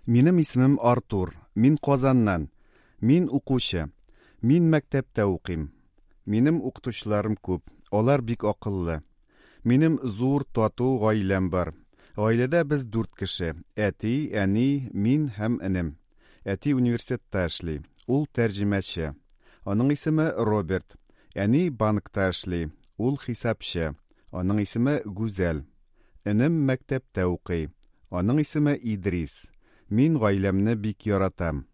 Минем исемем Артур. Мин Казаннан. Мин укучы. Мин мәктәптә укыйм. Минем укытучыларым күп. Алар бик акыллы. Минем зур, тату гаиләм бар. Гаиләдә без дүрт кеше: әти, әни, мин һәм энем. Әти университетта эшли. Ул тәрҗемәче. Аның исеме Роберт. Әни банкта эшли. Ул хисапчы. Аның исеме Гүзәл. Энем мәктәптә укый. Аның исеме Идрис. Мин гаиләмне бик яратам.